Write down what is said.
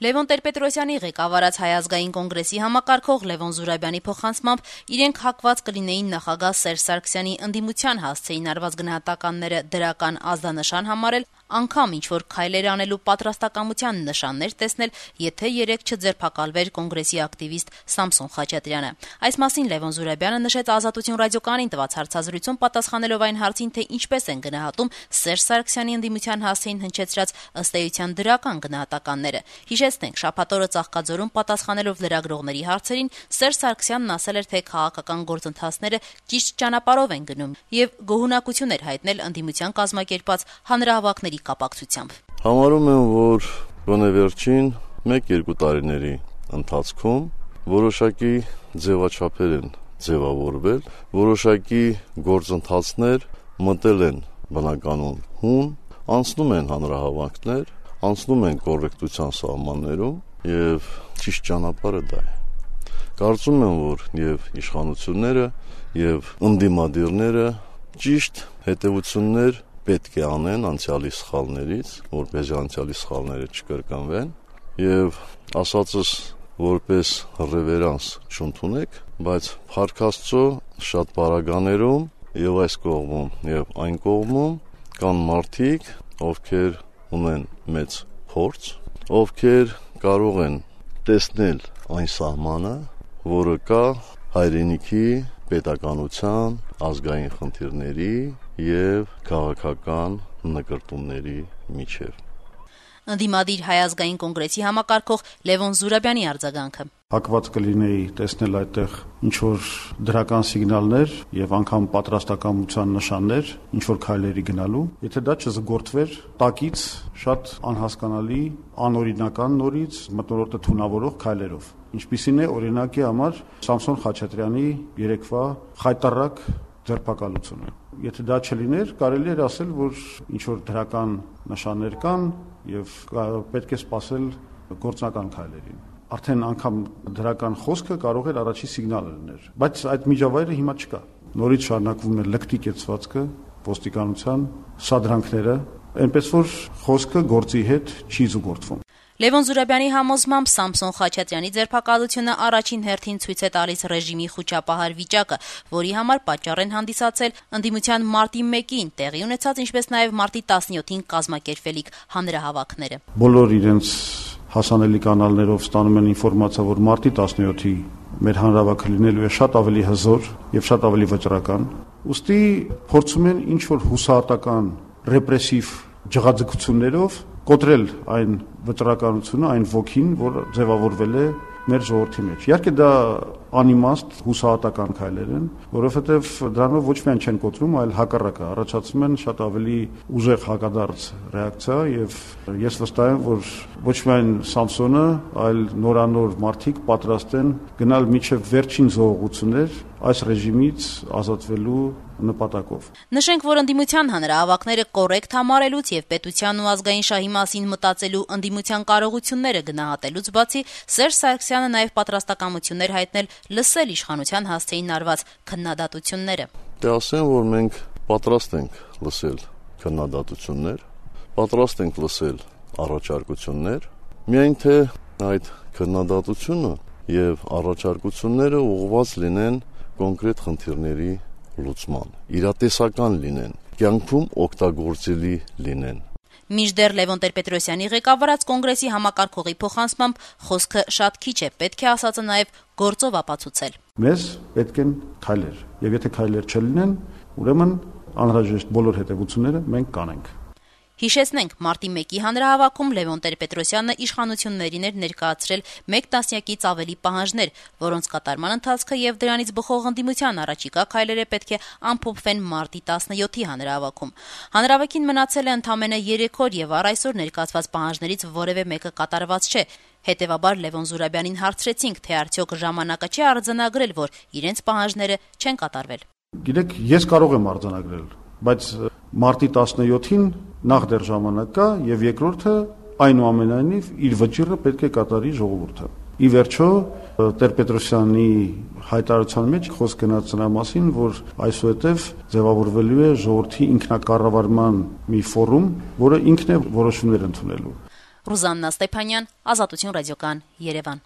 Լևոն Տեր-Պետրոսյանի ղեկավարած Հայ ազգային կոնգրեսի համակարգող Լևոն Զուրաբյանի փոխանցմամբ իրենք հակված կլինեին նախագահ Սերժ Սարգսյանի ընդդիմության հասցեին արված գնահատականները դրական ազդանշան համարել, անգամ ինչ-որ քայլեր անելու պատրաստակամության նշաններ տեսնել, եթե երեկ չձերբակալվեր կոնգրեսի ակտիվիստ Սամսոն Խաչատրյանը։ Այս մասին Լևոն Զուրաբյանը նշեց Ազատություն ռադիոկայանին տված հարցազրույցում, պատասխանելով այն հարցին, թե ինչպես են գնահատում Սերժ Սարգսյանի ընդդիմության հասցեին հնչեցրած ըստ էության դրական գնահատականները։ Հիշեցնենք, շաբաթ օրը Ծաղկաձորում պատասխանելով լրագրողների հարցերին, Սերժ Սարգսյանն ասել էր, թե քաղաքական գործընթացները ճիշտ ճանապարհով են գնում եւ գոհունակություն էր հայտնել ընդդիմության կազմակերպած հանրահավաքների կապակցությամբ։ Համարում եմ, որ գոնե վերջին 1-2 տարիների ընթացքում որոշակի ձևաչափեր են ձևավորվել, որոշակի գործընթացներ մտել են բնականon հուն, անցնում են հանրահավաքներ, անցնում են կոռեկտության սահմաններում եւ ճիշտ ճանապարհը դա է։ Կարծում եմ, որ եւ իշխանությունները եւ ընդդիմադիրները ճիշտ հետեւություններ պետք է անեն անցյալի սխալներից, որպեսզի անցյալի սխալները չկրկնվեն եւ ասածս որպես ռևերանս չընդունեք, բայց Փառք Աստծո շատ բարագաներում եւ այս կողմում եւ այն կողմում կան մարդիկ, ովքեր ունեն մեծ փորձ, ովքեր կարող են տեսնել այն սահմանը, որը կա հայրենիքի, պետականության, ազգային խնդիրների եւ քաղաքական նկրտումների միջև։ Ընդդիմադիր Հայ ազգային կոնգրեսի համակարգող Լևոն Զուրաբյանի արձագանքը. Հակված կլինեի տեսնել այդտեղ ինչ-որ դրական սիգնալներ եւ անգամ պատրաստակամության նշաններ ինչ-որ քայլերի գնալու, եթե դա չզգորդվեր տակից շատ անհասկանալի, անօրինական նորից մթնոլորտը թունավորող քայլերով։ Ինչպիսին է օրինակի համար Սամսոն Խաչատրյանի երեկվա խայտառակ ձերբակալությունը։ Եթե դա չլիներ, կարելի էր ասել, որ ինչ-որ դրական նշաններ կան եւ պետք է սպասել գործնական քայլերին։ Արդեն անգամ դրական խոսքը կարող էր առաջի սիգնալը լինել, բայց այդ միջավայրը հիմա չկա։ Նորից շարունակվում է լկտի կեցվածքը, ոստիկանության սադրանքները, այնպես որ խոսքը գործի հետ չի զուգորդվում։ Լևոն Զուրաբյանի համոզմամբ Սամսոն Խաչատրյանի ձերբակալությունը առաջին հերթին ցույց է տալիս ռեժիմի խուճապահար վիճակը, որի համար պատճառ են հանդիսացել ընդդիմության մարտի 1-ին տեղի ունեցած, ինչպես նաև մարտի 17-ին կազմակերպվելիք հանրահավաքները։ Բոլոր իրենց հասանելի կանալներով ստանում են ինֆորմացիա, որ մարտի 17-ի մեր հանրահավաքը լինելու է շատ ավելի հզոր եւ շատ ավելի վճռական։ Ուստի փորձում են ինչ-որ հուսահատական, ռեպրեսիվ ջղաձգություններով կոտրել այն վճռականությունը, այն ոգին, որ ձևավորվել է մեր ժողովրդի մեջ։ Իհարկե դա անիմաստ հուսահատական քայլեր են, որովհետև դրանով ոչ միայն չեն կոտրում, այլ հակառակը առաջացնում են շատ ավելի ուժեղ հակադարձ ռեակցիա եւ ես վստահ եմ, որ ոչ միայն Սամսոնը, այլ նորանոր մարդիկ պատրաստ են գնալ միջև վերջին զողողություններ այս ռեժիմից ազատվելու նպատակով։ Նշենք, որ ընդդիմության հանրահավաքները կոռեկտ համարելուց եւ պետության ու ազգային շահի մասին մտածելու ընդդիմության կարողությունները գնահատելուց բացի Սերժ Սարգսյանը նաեւ պատրաստակամություններ հայտնել լսել իշխանության հասցեին արված քննադատությունները։ Դե ասեմ, որ մենք պատրաստ ենք լսել քննադատություններ, պատրաստ ենք լսել առաջարկություններ, միայն թե այդ քննադատությունը եւ առաջարկությունները ուղղված լինեն կոնկրետ խնդիրների լուծման, իրատեսական լինեն, կյանքում օգտագործելի լինեն։ Մինչդեռ Լևոն Տեր-Պետրոսյանի ղեկավարած կոնգրեսի համակարգողի փոխանցմամբ խոսքը շատ քիչ է, պետք է ասածը նաև գործով ապացուցել։ Մեզ պետք են քայլեր, եւ եթե քայլեր չլինեն, ուրեմն անհրաժեշտ բոլոր հետևությունները մենք կանենք։ Հիշեցնենք, մարտի 1-ի հանրահավաքում Լևոն Տեր-Պետրոսյանը իշխանություններին էր ներկայացրել 1 տասնյակից ավելի պահանջներ, որոնց կատարման ընթացքը եւ դրանից բխող ընդդիմության առաջիկա քայլերը պետք է ամփոփվեն մարտի 17-ի հանրահավաքում։ Հանրահավաքին մնացել է ընդամենը 3 օր եւ առ այսօր ներկայացված պահանջներից որևէ մեկը կատարված չէ։ Հետևաբար Լևոն Զուրաբյանին հարցրեցինք, թե արդյոք ժամանակը չի արձանագրել, որ իրենց պահանջները չեն կատարվել։ Գիտեք, ես կարող եմ արձանագրել, բայց մարտի 17-ին նախ դեռ ժամանակ կա եւ երկրորդը այնուամենայնիվ իր վճիռը պետք է կատարի ժողովուրդը։ Ի վերջո Տեր-Պետրոսյանի հայտարարության մեջ խոսք գնաց նրա մասին, որ այսուհետև ձևավորվելու է ժողովրդի ինքնակառավարման մի ֆորում, որը ինքն է որոշումներ ընդունելու։ Ռուզաննա Ստեփանյան, Ազատություն ռադիոկան, Երևան։